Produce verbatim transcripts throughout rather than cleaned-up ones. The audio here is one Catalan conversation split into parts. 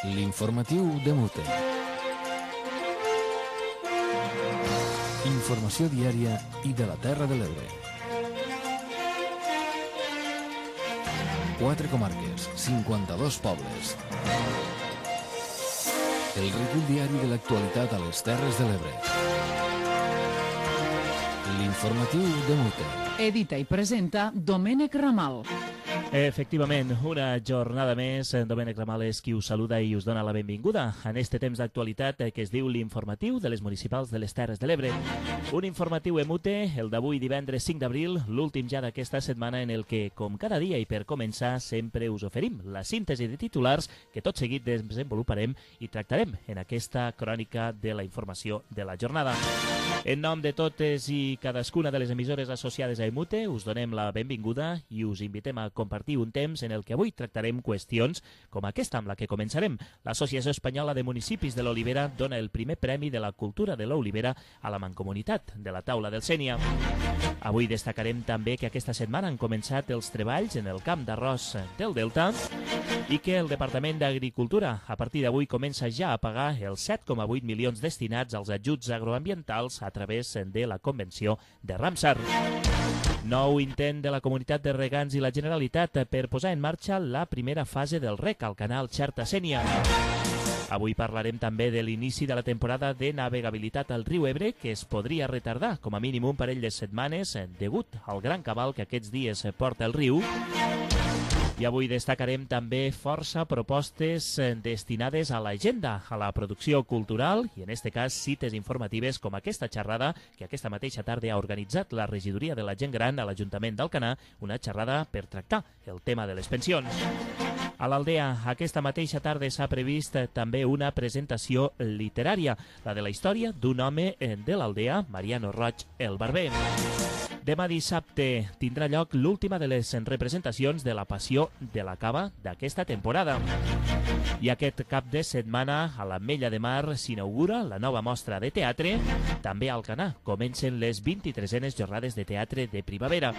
L'informatiu de Mute. Informació diària i de la Terra de l'Ebre. Quatre comarques, cinquanta-dos pobles. El recull diari de l'actualitat a les Terres de l'Ebre. L'informatiu de Mute. Edita i presenta Domènec Ramal. Efectivament, una jornada més. Domènec Ramal és qui us saluda i us dona la benvinguda en este temps d'actualitat que es diu l'informatiu de les municipals de les Terres de l'Ebre. Un informatiu emute, el d'avui divendres cinc d'abril, l'últim ja d'aquesta setmana en el que, com cada dia i per començar, sempre us oferim la síntesi de titulars que tot seguit desenvoluparem i tractarem en aquesta crònica de la informació de la jornada. En nom de totes i cadascuna de les emissores associades a Emute, us donem la benvinguda i us invitem a compartir un temps en el que avui tractarem qüestions com aquesta amb la que començarem. L'Associació Espanyola de Municipis de l'Olivera dona el primer premi de la cultura de l'Olivera a la Mancomunitat de la Taula del Sénia. Avui destacarem també que aquesta setmana han començat els treballs en el camp d'arròs del Delta i que el Departament d'Agricultura a partir d'avui comença ja a pagar els set coma vuit milions destinats als ajuts agroambientals a través de la Convenció de Ramsar. Nou intent de la Comunitat de Regants i la Generalitat per posar en marxa la primera fase del rec al canal Xerta-Sénia. Avui parlarem també de l'inici de la temporada de navegabilitat al riu Ebre, que es podria retardar com a mínim un parell de setmanes degut al gran cabal que aquests dies porta el riu. I avui destacarem també força propostes destinades a l'agenda, a la producció cultural i, en aquest cas, cites informatives com aquesta xerrada que aquesta mateixa tarda ha organitzat la regidoria de la gent gran a l'Ajuntament d'Alcanar, una xerrada per tractar el tema de les pensions. A l'Aldea, aquesta mateixa tarda s'ha previst també una presentació literària, la de la història d'un home de l'Aldea, Mariano Roig, el barber. Demà dissabte tindrà lloc l'última de les representacions de la Passió de la Cava d'aquesta temporada. I aquest cap de setmana a l'Ametlla de Mar s'inaugura la nova mostra de teatre. També a Alcanar comencen les vint-i-tresenes jornades de teatre de primavera.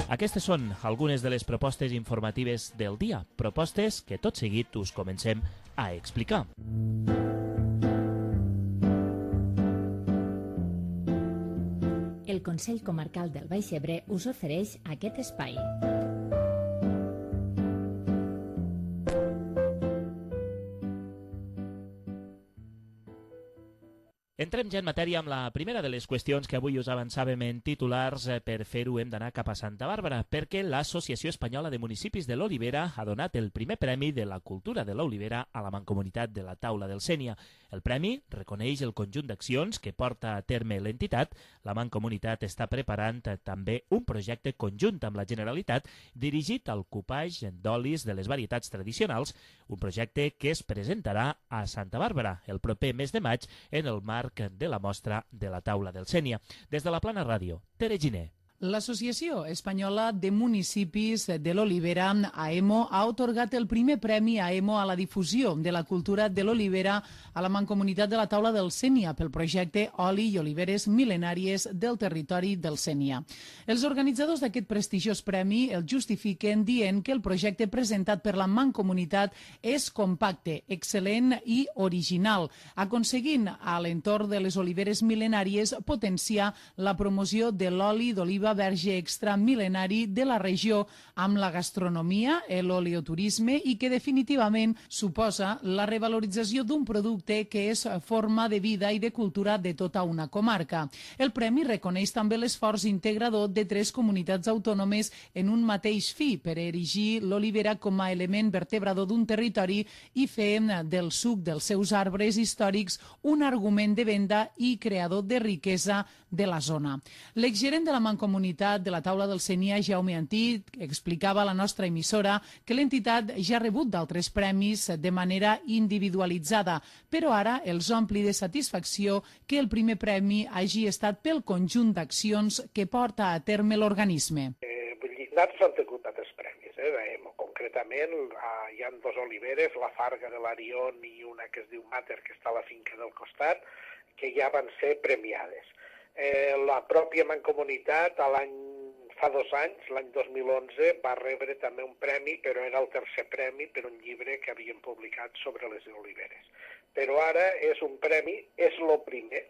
Aquestes són algunes de les propostes informatives del dia, propostes que tot seguit us comencem a explicar. El Consell Comarcal del Baix Ebre us ofereix aquest espai. Entrem ja en matèria amb la primera de les qüestions que avui us avançàvem en titulars. Per fer-ho hem d'anar cap a Santa Bàrbara, perquè l'Associació Espanyola de Municipis de l'Olivera ha donat el primer premi de la cultura de l'Olivera a la Mancomunitat de la Taula del Sénia. El premi reconeix el conjunt d'accions que porta a terme l'entitat. La Mancomunitat està preparant també un projecte conjunt amb la Generalitat dirigit al cupatge d'olis de les varietats tradicionals, un projecte que es presentarà a Santa Bàrbara el proper mes de maig en el marc de la mostra de la Taula del Sénia. Des de la Plana Ràdio, Tere Giner. L'Associació Espanyola de Municipis de l'Olivera, AEMO, ha atorgat el primer premi AEMO a la difusió de la cultura de l'olivera a la Mancomunitat de la Taula del Sénia pel projecte Oli i Oliveres Mil·lenàries del territori del Sénia. Els organitzadors d'aquest prestigiós premi el justifiquen dient que el projecte presentat per la Mancomunitat és compacte, excel·lent i original, aconseguint a l'entorn de les oliveres mil·lenàries potenciar la promoció de l'oli d'oliva verge extra mil·lenari de la regió amb la gastronomia, l'oleoturisme i que definitivament suposa la revalorització d'un producte que és forma de vida i de cultura de tota una comarca. El premi reconeix també l'esforç integrador de tres comunitats autònomes en un mateix fi per erigir l'olivera com a element vertebrador d'un territori i fer del suc dels seus arbres històrics un argument de venda i creador de riquesa de la zona. L'exgerent de la Mancomunitat de la Taula del Sénia, Jaume Antí, explicava a la nostra emissora que l'entitat ja ha rebut d'altres premis de manera individualitzada, però ara els ompli de satisfacció que el primer premi hagi estat pel conjunt d'accions que porta a terme l'organisme. Eh, vull dir, nosaltres hem tingut altres premis, eh, d'AEMO. Concretament, hi ha dos oliveres, la Farga de l'Arion i una que es diu Mater, que està a la finca del costat, que ja van ser premiades. Eh, la pròpia Mancomunitat, a l'any fa dos anys, l'any dos mil onze, va rebre també un premi, però era el tercer premi per un llibre que havien publicat sobre les oliveres. Però ara és un premi, és el primer,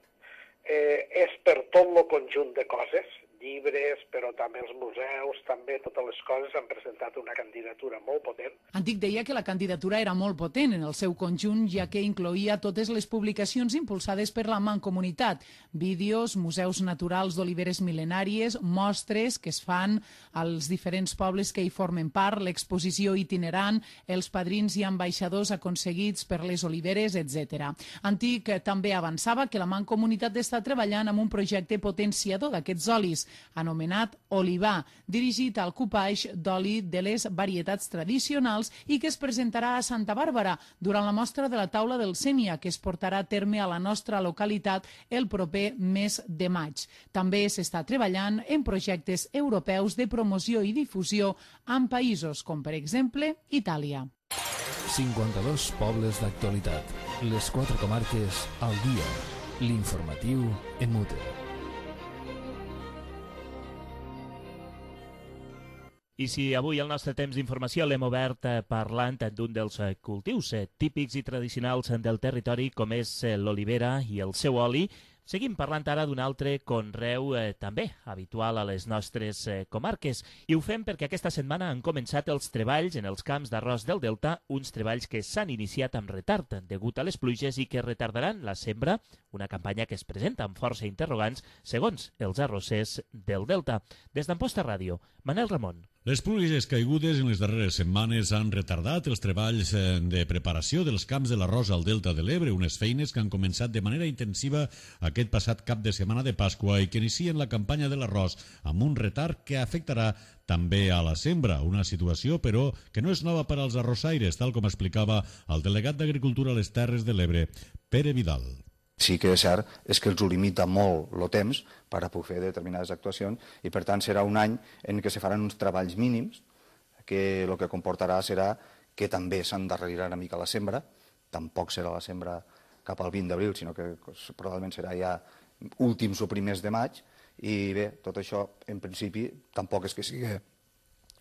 eh, és per tot el conjunt de coses, llibres, però també els museus, també totes les coses han presentat una candidatura molt potent. Antic deia que la candidatura era molt potent en el seu conjunt, ja que incloïa totes les publicacions impulsades per la Mancomunitat, vídeos, museus naturals d'oliveres mil·lenàries, mostres que es fan als diferents pobles que hi formen part, l'exposició itinerant, els padrins i ambaixadors aconseguits per les oliveres, etcètera. Antic també avançava que la Mancomunitat està treballant amb un projecte potenciador d'aquests olis, anomenat Olivar, dirigit al copaix d'oli de les varietats tradicionals i que es presentarà a Santa Bàrbara durant la mostra de la taula del Sénia, que es portarà a terme a la nostra localitat el proper mes de maig. També s'està treballant en projectes europeus de promoció i difusió en països com, per exemple, Itàlia. cinquanta-dos pobles d'actualitat. Les quatre comarques al dia. L'informatiu Emute. I si avui el nostre temps d'informació l'hem obert parlant d'un dels cultius típics i tradicionals del territori, com és l'olivera i el seu oli, seguim parlant ara d'un altre conreu eh, també habitual a les nostres eh, comarques. I ho fem perquè aquesta setmana han començat els treballs en els camps d'arròs del Delta, uns treballs que s'han iniciat amb retard degut a les pluges i que retardaran la sembra, una campanya que es presenta amb força interrogants segons els arrossers del Delta. Des d'Amposta Ràdio, Manel Ramon. Les pluges caigudes en les darreres setmanes han retardat els treballs de preparació dels camps de l'arròs al Delta de l'Ebre, unes feines que han començat de manera intensiva aquest passat cap de setmana de Pasqua i que inicien la campanya de l'arròs amb un retard que afectarà també a la sembra, una situació, però, que no és nova per als arrossaires, tal com explicava el delegat d'Agricultura a les Terres de l'Ebre, Pere Vidal. Sí que és cert és que els ho limita molt el temps per a poder fer determinades actuacions i per tant serà un any en què se faran uns treballs mínims que el que comportarà serà que també s'endarrerirà una mica la sembra, tampoc serà la sembra cap al vint d'abril, sinó que probablement serà ja últims o primers de maig i bé, tot això en principi tampoc és que sigui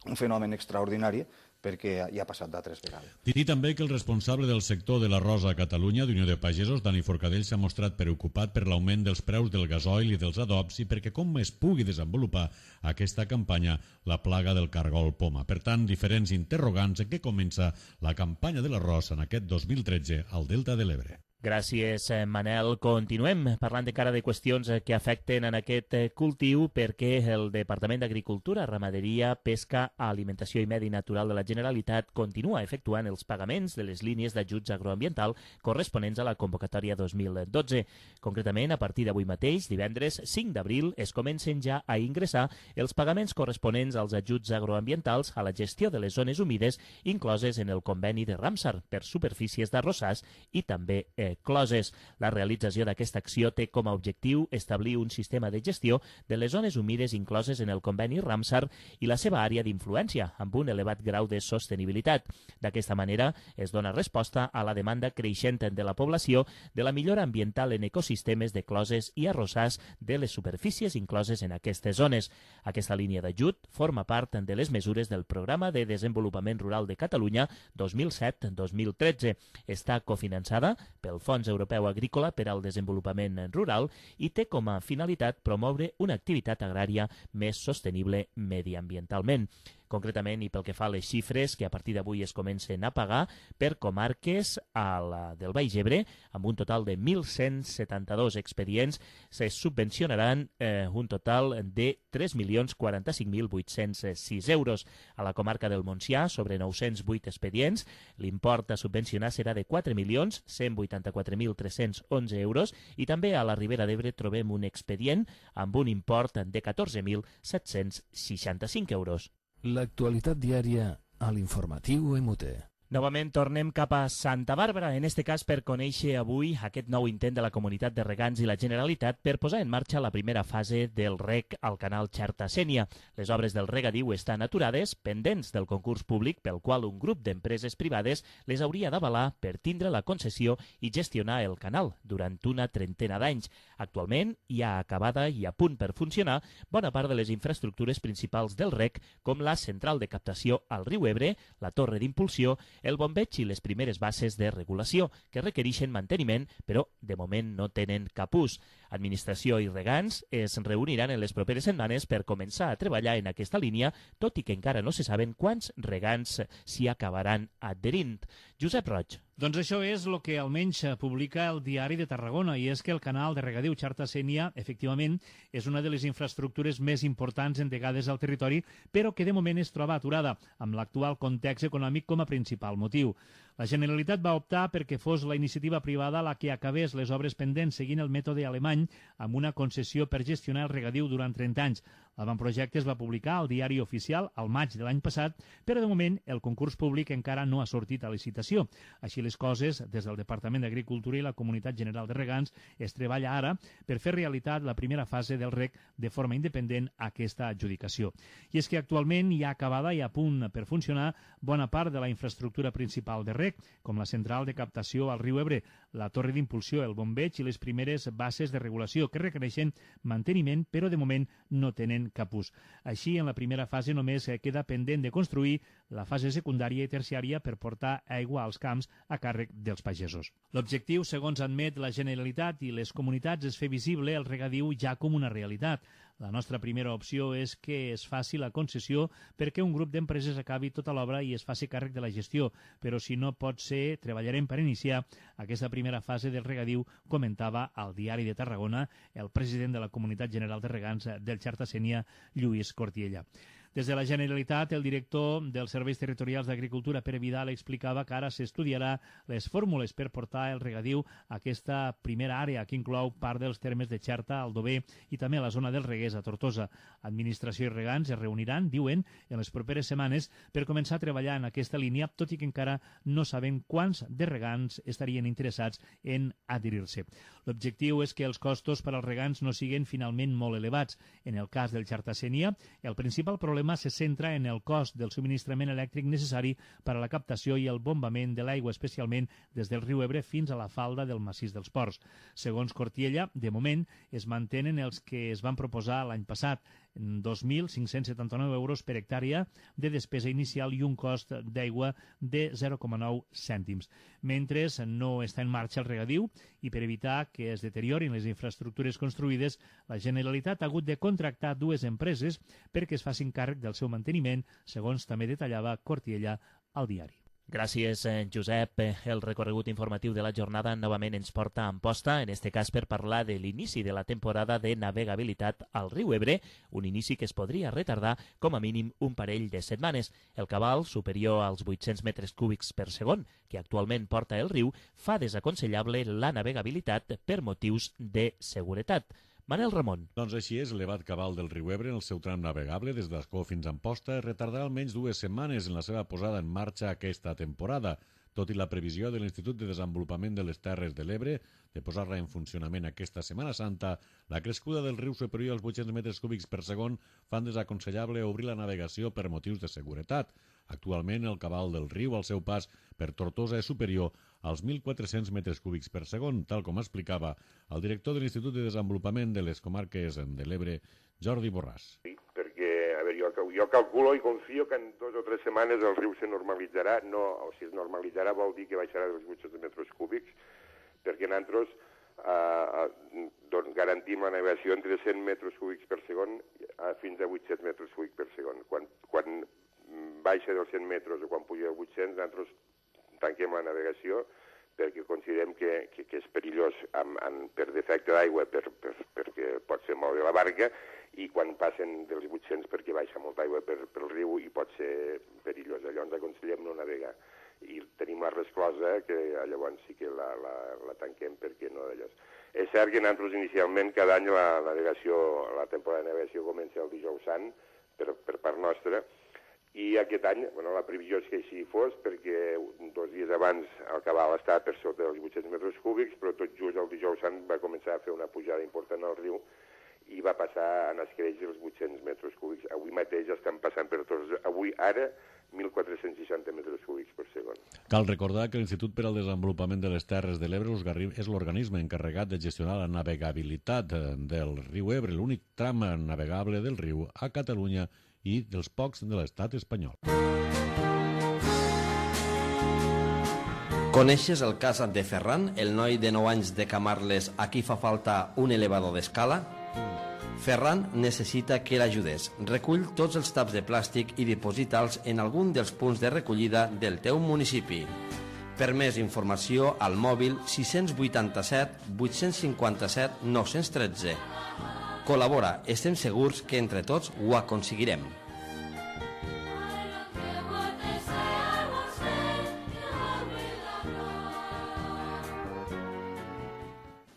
un fenomen extraordinari perquè ja ha passat d'altres vegades. Dir també que el responsable del sector de l'arròs a Catalunya d'Unió de Pagesos, Dani Forcadell, s'ha mostrat preocupat per l'augment dels preus del gasoil i dels adobs i perquè com es pugui desenvolupar aquesta campanya la plaga del cargol poma. Per tant, diferents interrogants en què comença la campanya de l'arròs en aquest dos mil tretze al Delta de l'Ebre. Gràcies, Manel. Continuem parlant encara de qüestions que afecten en aquest cultiu perquè el Departament d'Agricultura, Ramaderia, Pesca, Alimentació i Medi Natural de la Generalitat continua efectuant els pagaments de les línies d'ajuts agroambiental corresponents a la convocatòria dos mil dotze. Concretament, a partir d'avui mateix, divendres cinc d'abril, es comencen ja a ingressar els pagaments corresponents als ajuts agroambientals a la gestió de les zones humides incloses en el conveni de Ramsar per superfícies d'arrossars i també eh, closes. La realització d'aquesta acció té com a objectiu establir un sistema de gestió de les zones humides incloses en el conveni Ramsar i la seva àrea d'influència, amb un elevat grau de sostenibilitat. D'aquesta manera es dona resposta a la demanda creixent de la població de la millora ambiental en ecosistemes de closes i arrossars de les superfícies incloses en aquestes zones. Aquesta línia d'ajut forma part de les mesures del Programa de Desenvolupament Rural de Catalunya dos mil set dos mil tretze. Està cofinançada pel Fons Europeu Agrícola per al Desenvolupament Rural i té com a finalitat promoure una activitat agrària més sostenible mediambientalment. Concretament, i pel que fa a les xifres que a partir d'avui es comencen a pagar per comarques a la del Baix Ebre, amb un total de mil cent setanta-dos expedients, se subvencionaran eh, un total de tres milions quaranta-cinc mil vuit-cents sis euros. A la comarca del Montsià, sobre nou-cents vuit expedients, l'import a subvencionar serà de quatre milions cent vuitanta-quatre mil tres-cents onze euros i també a la Ribera d'Ebre trobem un expedient amb un import de catorze mil set-cents seixanta-cinc euros. L'actualitat diària a l'informatiu Emute. Novament tornem cap a Santa Bàrbara, en este cas per conèixer avui aquest nou intent de la Comunitat de Regants i la Generalitat per posar en marxa la primera fase del rec al canal Xerta-Sénia. Les obres del regadiu estan aturades, pendents del concurs públic pel qual un grup d'empreses privades les hauria d'avalar per tindre la concessió i gestionar el canal durant una trentena d'anys. Actualment hi ha acabada i a punt per funcionar bona part de les infraestructures principals del rec, com la central de captació al riu Ebre, la torre d'impulsió, el bombeig i les primeres bases de regulació, que requereixen manteniment, però de moment no tenen cap ús. Administració i regants es reuniran en les properes setmanes per començar a treballar en aquesta línia, tot i que encara no se saben quants regants s'hi acabaran adherint. Josep Roig. Doncs això és el que almenys publica el Diari de Tarragona, i és que el canal de regadiu Xerta-Sénia, efectivament, és una de les infraestructures més importants endegades al territori, però que de moment es troba aturada, amb l'actual context econòmic com a principal motiu. La Generalitat va optar perquè fos la iniciativa privada la que acabés les obres pendents seguint el mètode alemany amb una concessió per gestionar el regadiu durant trenta anys. L'avantprojecte es va publicar al Diari Oficial al maig de l'any passat, però de moment el concurs públic encara no ha sortit a licitació. Així les coses, des del Departament d'Agricultura i la Comunitat General de Regants es treballa ara per fer realitat la primera fase del rec de forma independent a aquesta adjudicació. I és que actualment hi ha acabada i a punt per funcionar bona part de la infraestructura principal de rec, com la central de captació al riu Ebre, la torre d'impulsió, el bombeig i les primeres bases de regulació que requereixen manteniment, però de moment no tenen cap ús. Així, en la primera fase només queda pendent de construir la fase secundària i terciària per portar aigua als camps a càrrec dels pagesos. L'objectiu, segons admet la Generalitat i les comunitats, és fer visible el regadiu ja com una realitat. La nostra primera opció és que es faci la concessió perquè un grup d'empreses acabi tota l'obra i es faci càrrec de la gestió, però si no pot ser, treballarem per iniciar aquesta primera fase del regadiu, comentava al Diari de Tarragona el president de la Comunitat General de Regants del Xerta-Sénia, Lluís Cortiella. Des de la Generalitat, el director dels Serveis Territorials d'Agricultura, Pere Vidal, explicava que ara s'estudiarà les fórmules per portar el regadiu a aquesta primera àrea, que inclou part dels termes de Xerta, Aldover i també la zona del Reguers a Tortosa. Administració i regants es reuniran, diuen, en les properes setmanes per començar a treballar en aquesta línia, tot i que encara no saben quants de regants estarien interessats en adherir-se. L'objectiu és que els costos per als regants no siguin finalment molt elevats. En el cas del Xerta-Sénia, el principal problema se centra en el cost del subministrament elèctric necessari per a la captació i el bombament de l'aigua, especialment des del riu Ebre fins a la falda del massís dels Ports. Segons Cortiella, de moment es mantenen els que es van proposar l'any passat, dos mil cinc-cents setanta-nou euros per hectàrea de despesa inicial i un cost d'aigua de zero coma nou cèntims. Mentre no està en marxa el regadiu i per evitar que es deteriorin les infraestructures construïdes, la Generalitat ha hagut de contractar dues empreses perquè es facin càrrec del seu manteniment, segons també detallava Cortiella al diari. Gràcies, Josep. El recorregut informatiu de la jornada novament ens porta a Amposta, en este cas per parlar de l'inici de la temporada de navegabilitat al riu Ebre, un inici que es podria retardar com a mínim un parell de setmanes. El cabal, superior als vuit-cents metres cúbics per segon, que actualment porta el riu, fa desaconsellable la navegabilitat per motius de seguretat. Manel Ramon. Doncs així és, l'elevat cabal del riu Ebre en el seu tram navegable des d'Ascó fins a Amposta retardarà almenys dues setmanes en la seva posada en marxa aquesta temporada. Tot i la previsió de l'Institut de Desenvolupament de les Terres de l'Ebre de posar-la en funcionament aquesta Setmana Santa, la crescuda del riu superior als vuit-cents metres cúbics per segon fan desaconsellable obrir la navegació per motius de seguretat. Actualment, el cabal del riu al seu pas per Tortosa és superior als mil quatre-cents metres cúbics per segon, tal com explicava el director de l'Institut de Desenvolupament de les Comarques de l'Ebre, Jordi Borràs. Sí, perquè, a veure, jo, jo calculo i confio que en dues o tres setmanes el riu se normalitzarà, no, o si es normalitzarà vol dir que baixarà dels vuit-cents metres cúbics, perquè nosaltres eh, doncs garantim la navegació entre cent metres cúbics per segon fins a vuit-cents metres cúbics per segon. Quan, quan baixa dels cent metres o quan puja a vuit-cents, nosaltres tanquem la navegació perquè considerem que, que, que és perillós amb, amb, per defecte d'aigua, per, per, perquè pot ser moure la barca, i quan passen dels vuit-cents perquè baixa molta aigua per, pel riu i pot ser perillós. Llavors aconsellem no navegar. I tenim la resclosa que llavors sí que la, la, la tanquem perquè no d'allò. És cert que nosaltres inicialment cada any la navegació, la temporada de navegació comença el dijous sant per, per part nostra, i aquest any, bueno, la previsió és que així fos, perquè els dies abans el cabal estava per sota dels vuit-cents metres cúbics, però tot just el dijous sant va començar a fer una pujada important al riu i va passar en escreix els vuit-cents metres cúbics. Avui mateix estan passant per tots, avui ara, mil quatre-cents seixanta metres cúbics per segon. Cal recordar que l'Institut per al Desenvolupament de les Terres de l'Ebre és l'organisme encarregat de gestionar la navegabilitat del riu Ebre, l'únic tram navegable del riu a Catalunya i dels pocs de l'estat espanyol. Coneixes el cas de Ferran, el noi de nou anys de Camarles a qui fa falta un elevador d'escala? Ferran necessita que l'ajudes. Recull tots els taps de plàstic i diposita'ls en algun dels punts de recollida del teu municipi. Per més informació, al mòbil sis vuitanta-set vuit cinquanta-set nou tretze. Col·labora, estem segurs que entre tots ho aconseguirem.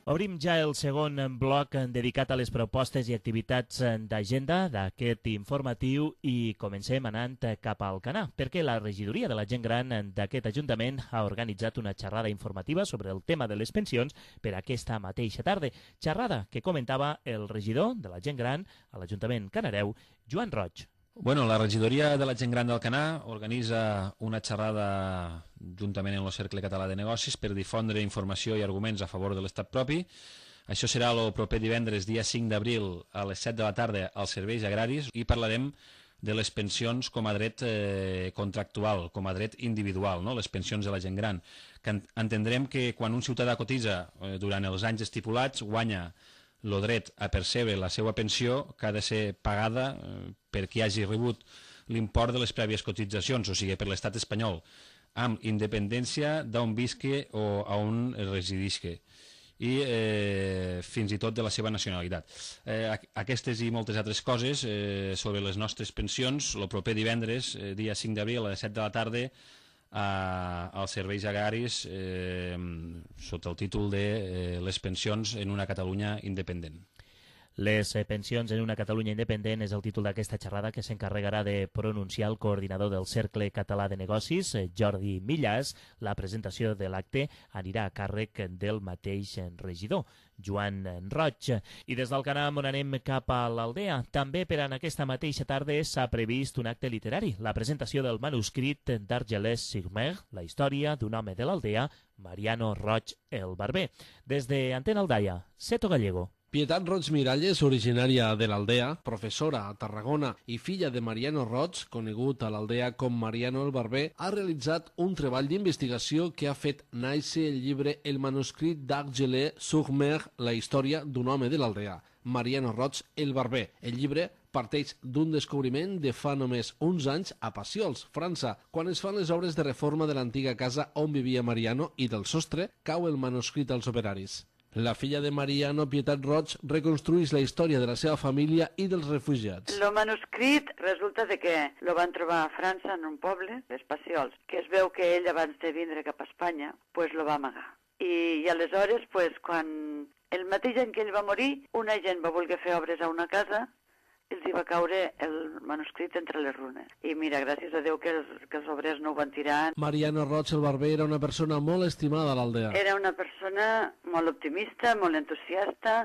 Obrim ja el segon bloc dedicat a les propostes i activitats d'agenda d'aquest informatiu i comencem anant cap al Canà, perquè la regidoria de la gent gran d'aquest Ajuntament ha organitzat una xerrada informativa sobre el tema de les pensions per aquesta mateixa tarda. Xerrada que comentava el regidor de la gent gran a l'Ajuntament canareu, Joan Roig. Bueno, la regidoria de la gent gran del Canà organitza una xerrada juntament amb el Cercle Català de Negocis per difondre informació i arguments a favor de l'estat propi. Això serà el proper divendres, dia cinc d'abril, a les set de la tarda, als serveis agraris, i parlarem de les pensions com a dret eh, contractual, com a dret individual, no? Les pensions de la gent gran. Que entendrem que quan un ciutadà cotitza eh, durant els anys estipulats, guanya el dret a percebre la seva pensió que ha de ser pagada eh, per qui hagi rebut l'import de les prèvies cotitzacions, o sigui, per l'estat espanyol, amb independència d'on visqui o a on residisqui, i eh, fins i tot de la seva nacionalitat. Eh, aquestes i moltes altres coses eh, sobre les nostres pensions, el proper divendres, eh, dia cinc d'abril, a les set de la tarda, a, als serveis agraris eh, sota el títol de eh, les pensions en una Catalunya independent. Les pensions en una Catalunya independent és el títol d'aquesta xerrada que s'encarregarà de pronunciar el coordinador del Cercle Català de Negocis, Jordi Millàs. La presentació de l'acte anirà a càrrec del mateix regidor, Joan Roig. I des del Canà on anem cap a l'Aldea, també per en aquesta mateixa tarda s'ha previst un acte literari, la presentació del manuscrit d'Argelès-sur-Mer, la història d'un home de l'Aldea, Mariano Roig el Barber. Des de Antena Aldaia, Seto Gallego. Pietat Roig Miralles, originària de l'Aldea, professora a Tarragona i filla de Mariano Roig, conegut a l'Aldea com Mariano el Barber, ha realitzat un treball d'investigació que ha fet néixer el llibre El manuscrit d'Argelès-sur-Mer, la història d'un home de l'Aldea, Mariano Roig el Barber. El llibre parteix d'un descobriment de fa només uns anys a Passiols, França, quan es fan les obres de reforma de l'antiga casa on vivia Mariano i del sostre cau el manuscrit als operaris. La filla de Mariano, Pietat Roig, reconstrueix la història de la seva família i dels refugiats. El manuscrit resulta de que lo van trobar a França en un poble, les Passiols, que es veu que ell abans de vindre cap a Espanya, pues lo va amagar. I, i aleshores, pues, quan el mateix any que ell va morir, una gent va voler fer obres a una casa, els hi va caure el manuscrit entre les runes. I mira, gràcies a Déu que els, que els obrers no ho van tirar. Mariano Roig el Barber era una persona molt estimada a l'Aldea. Era una persona molt optimista, molt entusiasta,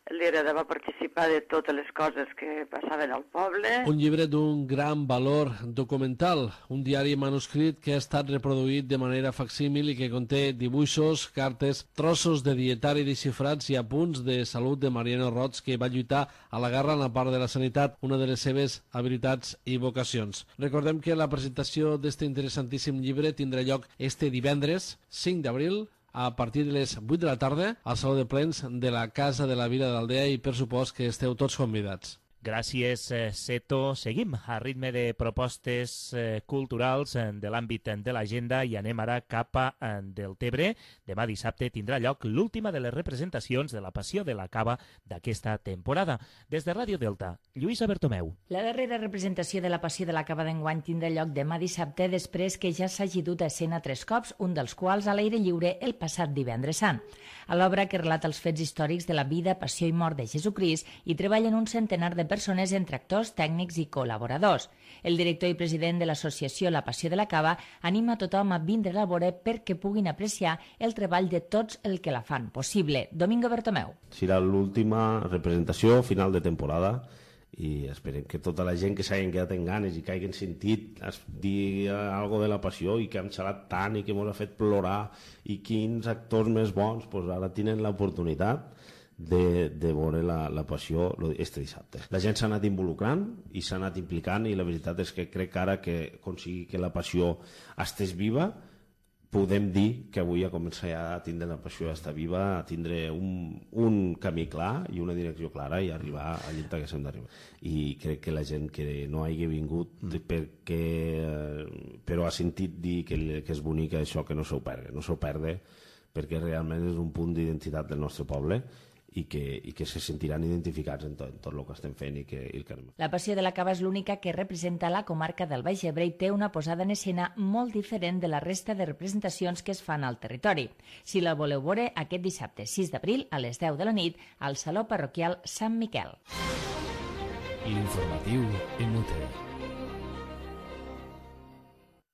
li agradava participar de totes les coses que passaven al poble. Un llibre d'un gran valor documental, un diari manuscrit que ha estat reproduït de manera facsímil i que conté dibuixos, cartes, trossos de dietari desxifrats i apunts de salut de Mariano Roig, que va lluitar a la guerra en la part de la sanitat, una de les seves habilitats i vocacions. Recordem que la presentació d'este interessantíssim llibre tindrà lloc este divendres, cinc d'abril, a partir de les vuit de la tarda al Saló de Plens de la Casa de la Vila d'Aldea, i per supost que esteu tots convidats. Gràcies, Seto. Seguim a ritme de propostes eh, culturals eh, de l'àmbit de l'agenda i anem ara cap a eh, Deltebre. Demà dissabte tindrà lloc l'última de les representacions de la Passió de la Cava d'aquesta temporada. Des de Ràdio Delta, Lluïsa Bertomeu. La darrera representació de la Passió de la Cava d'enguany tindrà lloc demà dissabte, després que ja s'hagi dut a escena tres cops, un dels quals a l'aire lliure el passat divendres sant. A l'obra, que relata els fets històrics de la vida, passió i mort de Jesucrist, hi treballen un centenar de persones entre actors, tècnics i col·laboradors. El director i president de l'associació La Passió de la Cava anima a tothom a vindre a la vora perquè puguin apreciar el treball de tots el que la fan possible. Domingo Bertomeu. Serà l'última representació final de temporada i esperem que tota la gent que s'hagin quedat en ganes i que hagin sentit dir alguna de la passió i que hem xalat tant i que ens ha fet plorar i quins actors més bons, doncs ara tenen l'oportunitat de, de veure la, la passió este dissabte. La gent s'ha anat involucrant i s'ha anat implicant i la veritat és que crec que ara que aconseguir que la passió estés viva podem dir que avui ha començat a tindre la passió, a estar viva, a tindre un, un camí clar i una direcció clara i arribar a l'illa que s'hem d'arribar. I crec que la gent que no hagi vingut perquè, però ha sentit dir que, que és bonic això, que no s'ho perde, no s'ho perde perquè realment és un punt d'identitat del nostre poble i que, i que se sentiran identificats en tot, en tot el que estem fent i que, i que anem. La Passió de la Cava és l'única que representa la comarca del Baix Ebre i té una posada en escena molt diferent de la resta de representacions que es fan al territori. Si la voleu veure, aquest dissabte sis d'abril a les deu de la nit al Saló Parroquial Sant Miquel. L'informatiu en U T.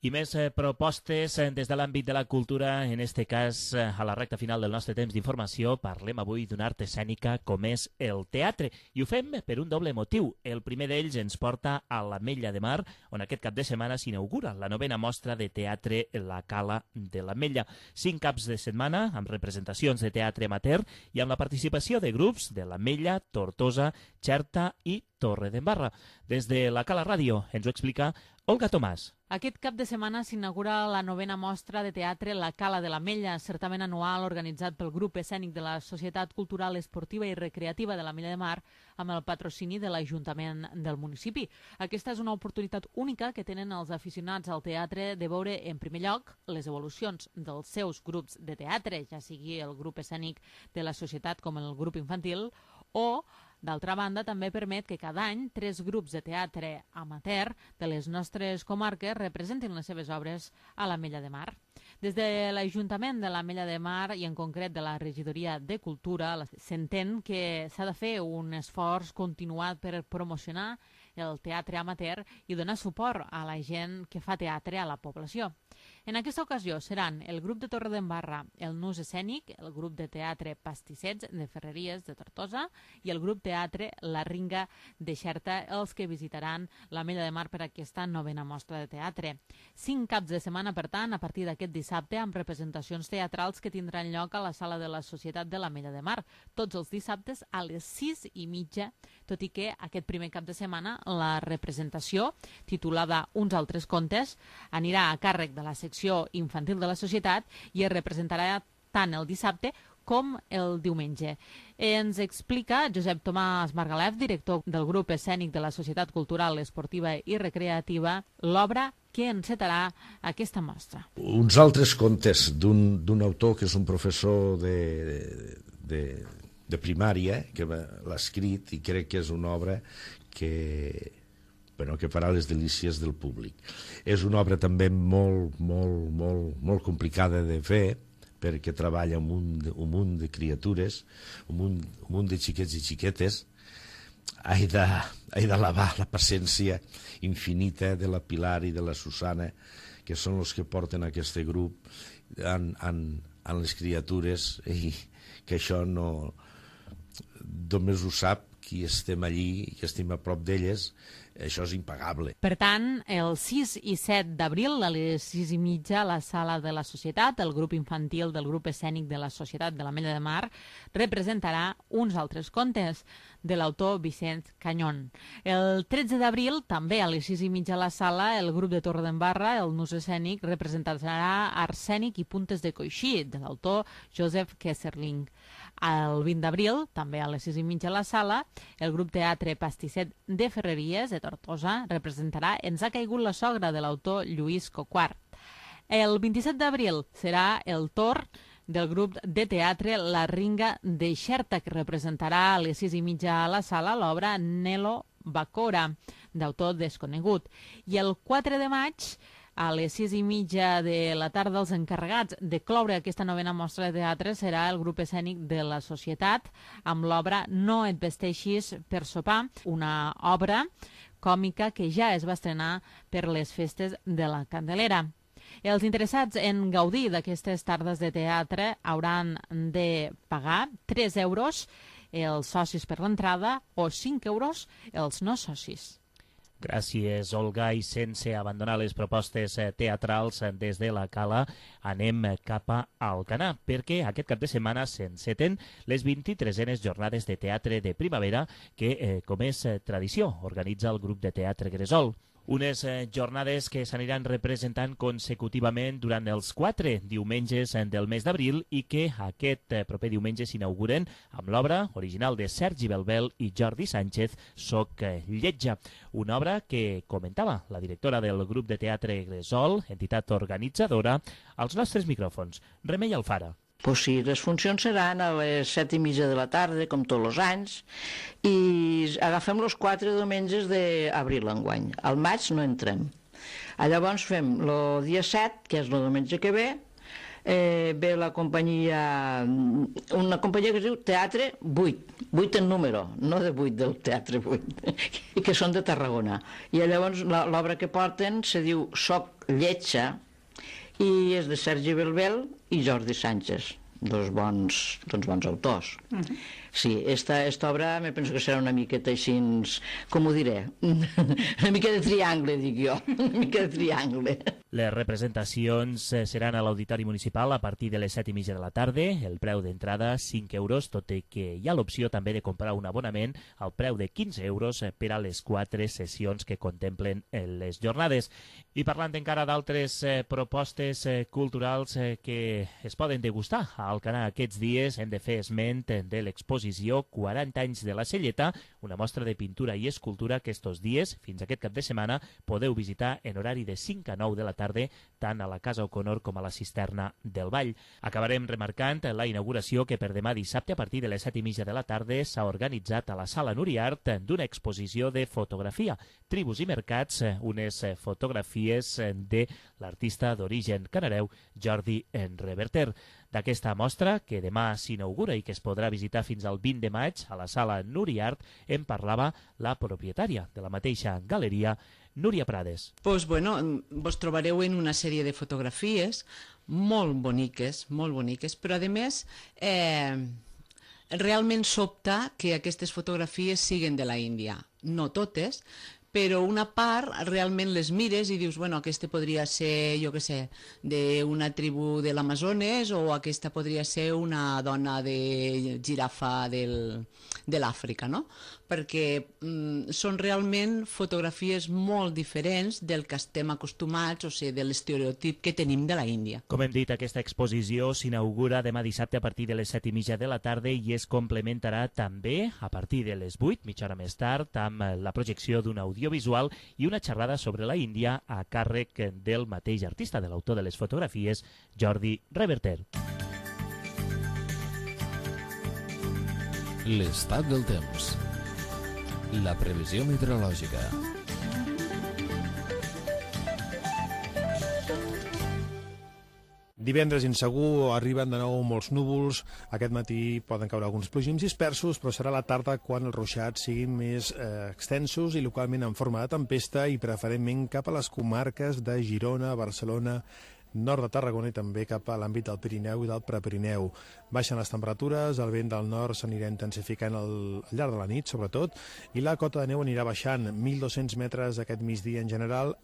I més eh, propostes eh, des de l'àmbit de la cultura, en este cas eh, a la recta final del nostre temps d'informació. Parlem avui d'una art escènica com és el teatre i ho fem per un doble motiu. El primer d'ells ens porta a l'Ametlla de Mar, on aquest cap de setmana s'inaugura la novena mostra de teatre La Cala de l'Ametlla. Cinc caps de setmana amb representacions de teatre amateur i amb la participació de grups de l'Ametlla, Tortosa, Xerta i Torredembarra. Des de la Cala Ràdio ens ho explica Olga Tomàs. Aquest cap de setmana s'inaugura la novena mostra de teatre La Cala de l'Ametlla, certament anual organitzat pel grup escènic de la Societat Cultural, Esportiva i Recreativa de l'Ametlla de Mar amb el patrocini de l'Ajuntament del municipi. Aquesta és una oportunitat única que tenen els aficionats al teatre de veure, en primer lloc, les evolucions dels seus grups de teatre, ja sigui el grup escènic de la societat com el grup infantil, o d'altra banda, també permet que cada any tres grups de teatre amateur de les nostres comarques representin les seves obres a l'Ametlla de Mar. Des de l'Ajuntament de l'Ametlla de Mar i en concret de la Regidoria de Cultura s'entén que s'ha de fer un esforç continuat per promocionar el teatre amateur i donar suport a la gent que fa teatre a la població. En aquesta ocasió seran el grup de Torredembarra, el Nus Escènic, el grup de teatre Pastissets de Ferreries de Tortosa i el grup teatre La Ringa de Xerta els que visitaran l'Ametlla de Mar per aquesta novena mostra de teatre. Cinc caps de setmana, per tant, a partir d'aquest dissabte, amb representacions teatrals que tindran lloc a la sala de la Societat de l'Ametlla de Mar, tots els dissabtes a les sis i mitja, tot i que aquest primer cap de setmana la representació, titulada Uns altres contes, anirà a càrrec de la secció infantil de la societat i es representarà tant el dissabte com el diumenge. Ens explica Josep Tomàs Margalef, director del grup escènic de la Societat Cultural, Esportiva i Recreativa, l'obra que encetarà aquesta mostra. Uns altres contes d'un autor que és un professor de, de, de primària, que l'ha escrit i crec que és una obra que... Bueno, que farà les delícies del públic. És una obra també molt, molt, molt, molt complicada de fer, perquè treballa un munt de, un munt de criatures, un munt, un munt de xiquets i xiquetes. He de, he de lavar la paciència infinita de la Pilar i de la Susana, que són els que porten aquest grup en, en, en les criatures, i que això no... Només ho sap qui estem allí i que estem a prop d'elles. Això és impagable. Per tant, el sis i set d'abril, a les sis i mitja, a la sala de la Societat, el grup infantil del grup escènic de la Societat de l'Ametlla de Mar representarà uns altres contes de l'autor Vicent Canyón. El tretze d'abril, també a les sis i mitja a la sala, el grup de Torredembarra, el Nus Escènic, representarà Arsènic i Puntes de Coixí, de l'autor Joseph Kesserling. El vint d'abril, també a les sis i mitja a la sala, el grup teatre Pastisset de Ferreries, de Tortosa, representarà Ens ha caigut la sogra, de l'autor Lluís Coquart. El vint-i-set d'abril serà el torn del grup de teatre La Ringa de Xerta, que representarà a les sis i mitja a la sala l'obra Nelo Bacora, d'autor desconegut. I el quatre de maig A les sis i mitja de la tarda, els encarregats de cloure aquesta novena mostra de teatre serà el grup escènic de la Societat, amb l'obra No et vesteixis per sopar, una obra còmica que ja es va estrenar per les festes de la Candelera. Els interessats en gaudir d'aquestes tardes de teatre hauran de pagar tres euros els socis per l'entrada o cinc euros els no socis. Gràcies, Olga, i sense abandonar les propostes teatrals des de la Cala, anem cap a Alcanar, perquè aquest cap de setmana s'enceten les vint-i-tresenes jornades de teatre de primavera que, eh, com és tradició, organitza el grup de teatre Gresol. Unes eh, jornades que s'aniran representant consecutivament durant els quatre diumenges del mes d'abril i que aquest eh, proper diumenge s'inauguren amb l'obra original de Sergi Belbel i Jordi Sánchez, Soc eh, lletja, una obra que comentava la directora del grup de teatre Gresol, entitat organitzadora, als nostres micròfons. Remei Alfara. Pues sí, les funcions seran a les set i mitja de la tarda, com tots els anys, i agafem els quatre diumenges d'abril enguany. Al maig no entrem. Llavors fem el dia set, que és el diumenge que ve, eh, ve la companyia, una companyia que es diu Teatre vuit, vuit en número, no de vuit del Teatre vuit, que són de Tarragona. I llavors l'obra que porten se diu Soc lletja, i és de Sergi Belbel i Jordi Sánchez, dos bons, dos bons autors. Uh-huh. Sí, esta, esta obra me penso que serà una miqueta així, com ho diré, una mica de triangle, dic jo, una mica de triangle. Les representacions seran a l'Auditori Municipal a partir de les set i mitja de la tarda, el preu d'entrada cinc euros, tot i que hi ha l'opció també de comprar un abonament al preu de quinze euros per a les quatre sessions que contemplen les jornades. I parlant encara d'altres eh, propostes eh, culturals eh, que es poden degustar a Alcanar aquests dies, hem de fer esment de l'exposició quaranta anys de la Selleta, una mostra de pintura i escultura que estos dies, fins aquest cap de setmana, podeu visitar en horari de cinc a nou de la tarda, tant a la Casa O'Connor com a la Cisterna del Vall. Acabarem remarcant la inauguració que per demà dissabte a partir de les set i mitja de la tarda s'ha organitzat a la Sala Nuriart d'una exposició de fotografia, Tribus i mercats, unes fotografies de l'artista d'origen canareu Jordi Reverter. D'aquesta mostra, que demà s'inaugura i que es podrà visitar fins al vint de maig a la Sala Nuriart, en parlava la propietària de la mateixa galeria, Núria Prades. Pues bueno, vos trobareu en una sèrie de fotografies molt boniques, molt boniques, però a més eh, realment sobta que aquestes fotografies siguen de la Índia. No totes, però una part realment les mires i dius, bueno, aquesta podria ser, jo què sé, d'una tribu de l'Amazones o aquesta podria ser una dona de girafa del, de l'Àfrica, no? Perquè mm, són realment fotografies molt diferents del que estem acostumats, o sigui, de l'estereotip que tenim de la Índia. Com hem dit, aquesta exposició s'inaugura demà dissabte a partir de les set i mitja de la tarda i es complementarà també a partir de les vuit, mitja hora més tard, amb la projecció d'un audiovisual i una xerrada sobre la Índia a càrrec del mateix artista, de l'autor de les fotografies, Jordi Reverter. L'estat del temps. La previsió meteorològica. Divendres insegur, arriben de nou molts núvols, aquest matí poden caure alguns plogins dispersos, però serà la tarda quan els ruixats siguin més eh, extensos i localment en forma de tempesta i preferentment cap a les comarques de Girona, Barcelona, nord de Tarragona i també cap a l'àmbit del Pirineu i del Prepirineu. Baixen les temperatures, el vent del nord s'anirà intensificant al, al llarg de la nit, sobretot, i la cota de neu anirà baixant, mil dos-cents metres aquest migdia en general,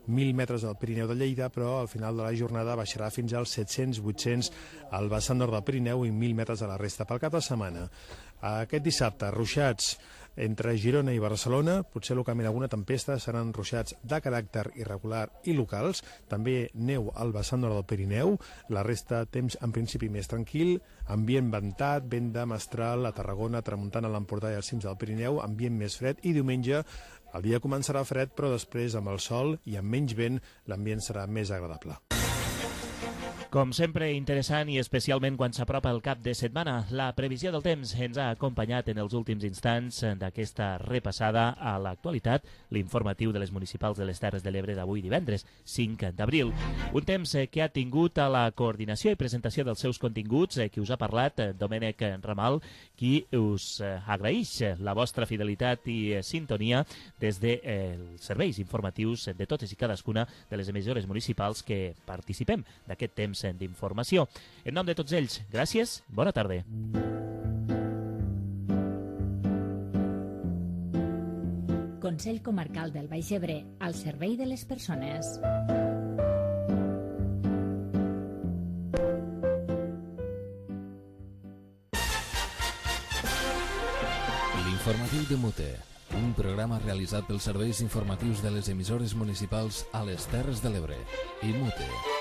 mil metres al Pirineu de Lleida, però al final de la jornada baixarà fins als set-cents vuit-cents al vessant nord del Pirineu i mil metres a la resta. Pel cap de setmana, aquest dissabte, ruixats entre Girona i Barcelona, potser localment alguna tempesta, seran ruixats de caràcter irregular i locals, també neu al vessant nord del Pirineu, la resta temps en principi més tranquil, ambient ventat, vent de mestral a Tarragona, tramuntana a l'Empordà i als cims del Pirineu, ambient més fred i diumenge el dia començarà fred, però després amb el sol i amb menys vent l'ambient serà més agradable. Com sempre, interessant i especialment quan s'apropa el cap de setmana. La previsió del temps ens ha acompanyat en els últims instants d'aquesta repassada a l'actualitat, l'informatiu de les municipals de les Terres de l'Ebre d'avui divendres, cinc d'abril. Un temps que ha tingut a la coordinació i presentació dels seus continguts, qui us ha parlat, Domènec Ramal, qui us agraeix la vostra fidelitat i sintonia des dels serveis informatius de totes i cadascuna de les emissores municipals que participem d'aquest temps d'informació. En nom de tots ells, gràcies, bona tarda. Consell Comarcal del Baix Ebre, al servei de les persones. L'informatiu de Mute, un programa realitzat pels serveis informatius de les emissores municipals a les Terres de l'Ebre i Mute.